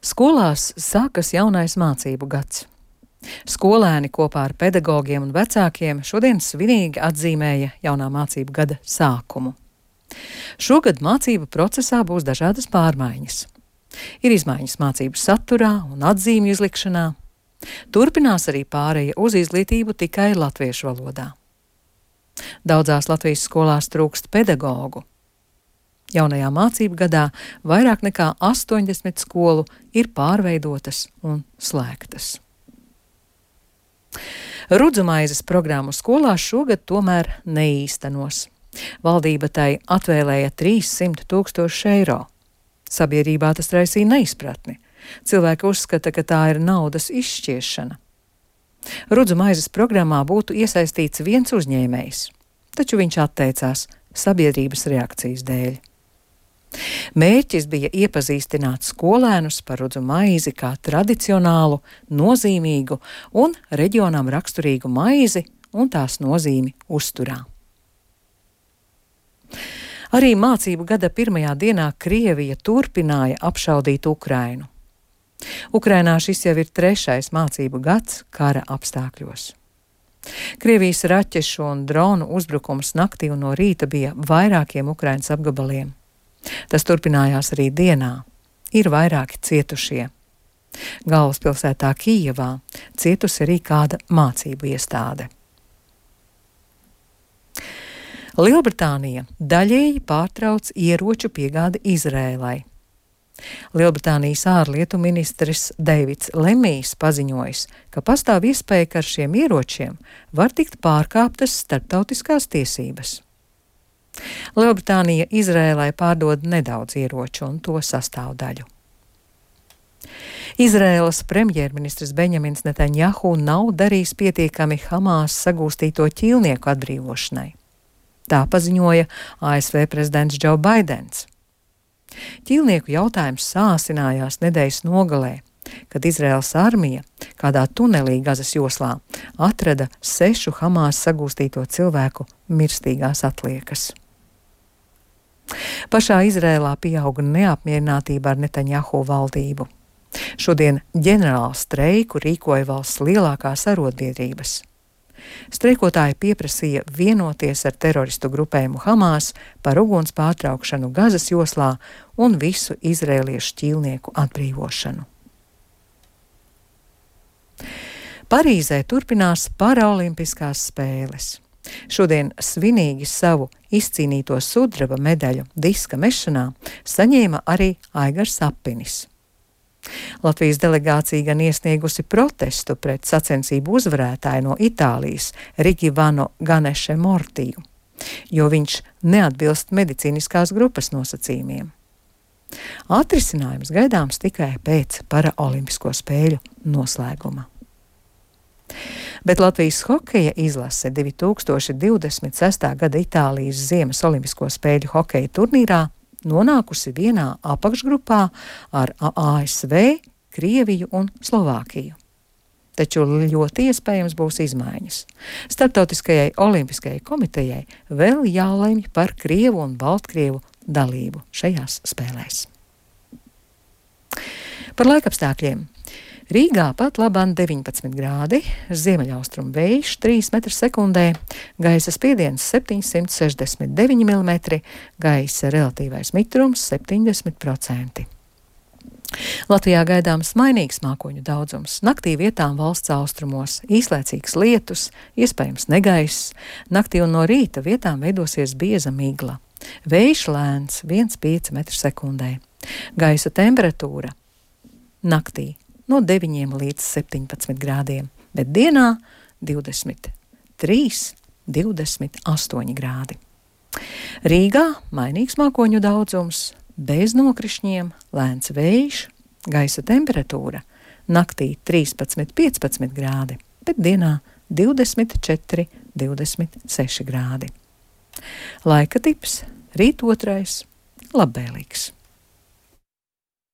Skolās sākas jaunais mācību gads. Skolēni kopā ar pedagogiem un vecākiem šodien svinīgi atzīmēja jaunā mācību gada sākumu. Šogad mācību procesā būs dažādas pārmaiņas. Ir izmaiņas mācību saturā un atzīmju izlikšanā. Turpinās arī pāreja uz izglītību tikai latviešu valodā. Daudzās Latvijas skolās trūkst pedagogu. Jaunajā mācību gadā vairāk nekā 80 skolu ir pārveidotas un slēgtas. Rudzumaizes programmu skolās šogad tomēr neīstenos. Valdība tai atvēlēja 300 000 eiro. Sabiedrībā tas raisīja neizpratni. Cilvēki uzskata, ka tā ir naudas izšķiešana. Rudzumaizes programmā būtu iesaistīts viens uzņēmējs, taču viņš atteicās sabiedrības reakcijas dēļ. Mērķis bija iepazīstināt skolēnus par rudzu maizi kā tradicionālu, nozīmīgu un reģionam raksturīgu maizi un tās nozīmi uzturā. Arī mācību gada pirmajā dienā Krievija turpināja apšaudīt Ukrainu. Ukrainā šis jau ir 3. mācību gads kara apstākļos. Krievijas raķešu un dronu uzbrukums naktī un no rīta bija vairākiem Ukrainas apgabaliem. Tas turpinājās arī dienā. Ir vairāki cietušie. Galvaspilsētā Kijevā cietusi arī kāda mācību iestāde. Lielbritānija daļēji pārtrauc ieroču piegādi Izrēlai. Lielbritānijas ārlietu ministrs Deivids Lemijs paziņojis, ka pastāv iespēja, ka ar šiem ieročiem var tikt pārkāptas starptautiskās tiesības. Lielbritānija Izrēlai pārdod nedaudz ieroču un to sastāvdaļu. Izrēlas premjerministrs Benjamins Netanjahu nav darījis pietiekami Hamās sagūstīto ķīlnieku atbrīvošanai. Tā paziņoja ASV prezidents Džo Baidens. Ķīlnieku jautājums sāsinājās nedēļas nogalē, kad Izraēlas armija kādā tunelī Gazas joslā atrada 6 Hamās sagūstīto cilvēku mirstīgās atliekas. Pašā Izrēlā pieauga neapmierinātība ar Netanjahu valdību. Šodien ģenerālu streiku rīkoja valsts lielākās arotbiedrības. Streikotāji pieprasīja vienoties ar teroristu grupējumu Hamās par uguns pārtraukšanu Gazas joslā un visu izrēliešu ķīlnieku atbrīvošanu. Parīzē turpinās paraolimpiskās spēles. Šodien svinīgi savu izcīnīto sudraba medaļu diska mešanā saņēma arī Aigars Sapinis. Latvijas delegācija gan iesniegusi protestu pret sacensību uzvarētāju no Itālijas Rigivano Ganeše Mortiju, jo viņš neatbilst medicīniskās grupas nosacījumiem. Atrisinājums gaidāms tikai pēc paraolimpisko spēļu noslēguma. Bet Latvijas hokeja izlase 2026. gada Itālijas ziemas olimpisko spēļu hokeja turnīrā nonākusi vienā apakšgrupā ar ASV, Krieviju un Slovākiju. Taču ļoti iespējams būs izmaiņas. Starptautiskajai olimpiskajai komitejai vēl jālemj par Krievu un Baltkrievu dalību šajās spēlēs. Par laikapstākļiem. Rīgā pat labāk 19 grādi, ziemeļaustrumu vējš 3 m/sekundē, gaisa spiediens 769 mm, gaisa relatīvais mitrums 70%. Latvijā gaidāms mainīgs mākoņu daudzums. Naktī vietām valsts austrumos īslaicīgs lietus, iespējams negaiss. Naktī un no rīta vietām veidosies bieza migla. Vējš lēns 1,5 m/sekundē. Gaisa temperatūra naktī no 9 līdz 17 grādiem, bet dienā 23, 28 grādi. Rīgā mainīgs mākoņu daudzums, bez nokrišņiem, lēns vējš, gaisa temperatūra naktī 13, 15 grādi, bet dienā 24, 26 grādi. Laika tips rīt 2. labvēlīgs.